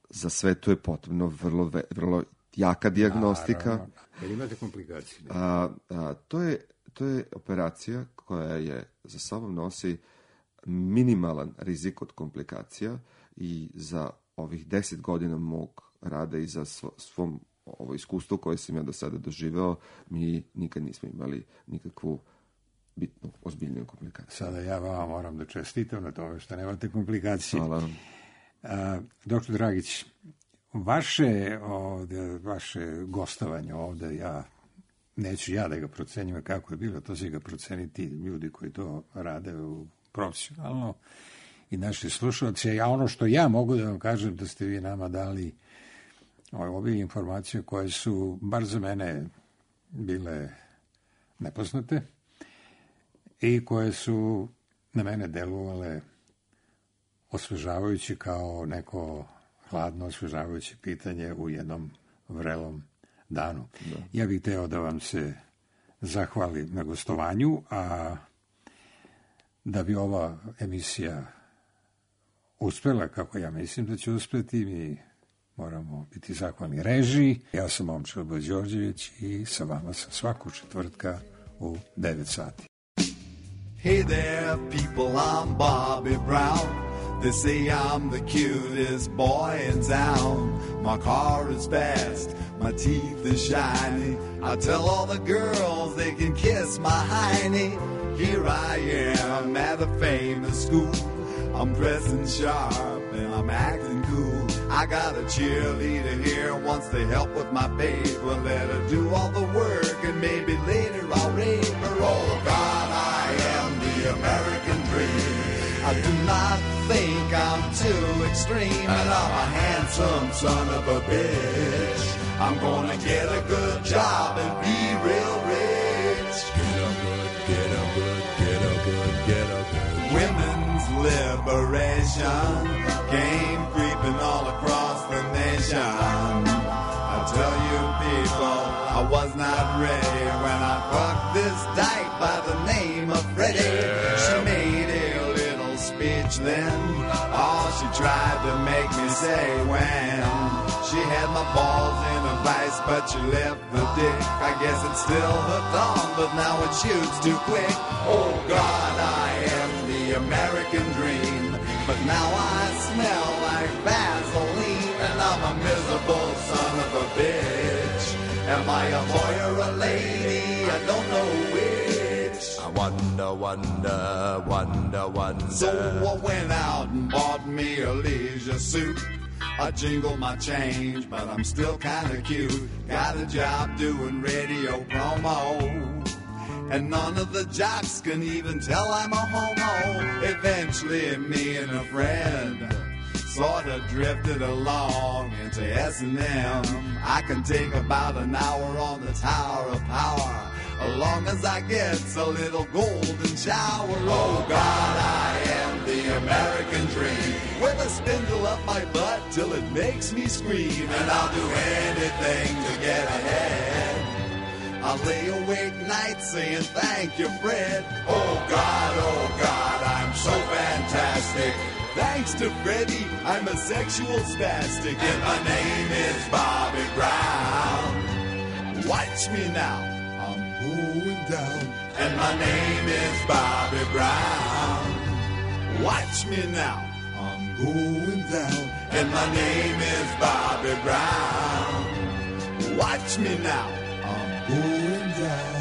za sve to je potrebno vrlo, ve- vrlo jaka dijagnostika. Naravno. Jel imate komplikacije? Ne? A, a, to, je, to je operacija koja je za sobom nosi minimalan rizik od komplikacija i za ovih deset godina mog rada i za svo, svom ovo iskustvo koje sam ja do sada doživeo, mi nikad nismo imali nikakvu bitnu, ozbiljniju komplikaciju. Sada ja vama moram da čestitam na tome što nemate komplikacije. Hvala vam. A, doktor Dragić, vaše, ovde, vaše gostovanje ovde, ja neću ja da ga procenjujem kako je bilo, to će ga proceniti ljudi koji to rade u profesionalno i naši slušalci. A ono što ja mogu da vam kažem, da ste vi nama dali ove informacije koje su, bar za mene, bile nepoznate i koje su na mene delovale osvežavajući kao neko hladno osvežavajuće pitanje u jednom vrelom danu. Da. Ja bih teo da vam se zahvalim na gostovanju, a da bi ova emisija uspela kako ja mislim da će uspeti, mi moramo biti zahvalni režiji. Ja sam Momčilo Đorđević i sa vama sam svakog četvrtka u devet sati. Hey there, people, I'm Bobby Brown. They say I'm the cutest boy in town. My car is fast, my teeth are shiny. I tell all the girls they can kiss my hiney. Here I am at a famous school. I'm dressing sharp and I'm acting cool. I got a cheerleader here, wants to help with my paper. Let her do all the work and maybe later I'll rape her. Oh God, I am the American dream. I do not think I'm too extreme, and I'm a handsome son of a bitch. I'm gonna get a good job and be real rich. Get a good, get a good, get a good, get a good. Women's liberation came creeping all across the nation. I tell you people, I was not ready when I fucked this dyke by the name of Freddie. She made a speech then, all she tried to make me say when she had my balls in a vice, but she left the dick. I guess it's still hooked on, but now it shoots too quick. Oh God, I am the American dream, but now I smell like Vaseline, and I'm a miserable son of a bitch. Am I a boy or a lady? I don't know which. I wonder, wonder, wonder, wonder. So I went out and bought me a leisure suit. I jingled my change, but I'm still kinda cute. Got a job doing radio promo, and none of the jocks can even tell I'm a homo. Eventually me and a friend sort of drifted along into S and M. I can take about an hour on the Tower of Power, as long as I get a little golden shower. Oh God, I am the American dream, with a spindle up my butt till it makes me scream, and I'll do anything to get ahead. I'll lay awake nights saying thank you, Fred. Oh God, oh God, I'm so fantastic. Thanks to Freddie, I'm a sexual spastic, and my name is Bobby Brown. Watch me now, I'm going down, and my name is Bobby Brown. Watch me now, I'm going down, and my name is Bobby Brown. Watch me now, I'm going down.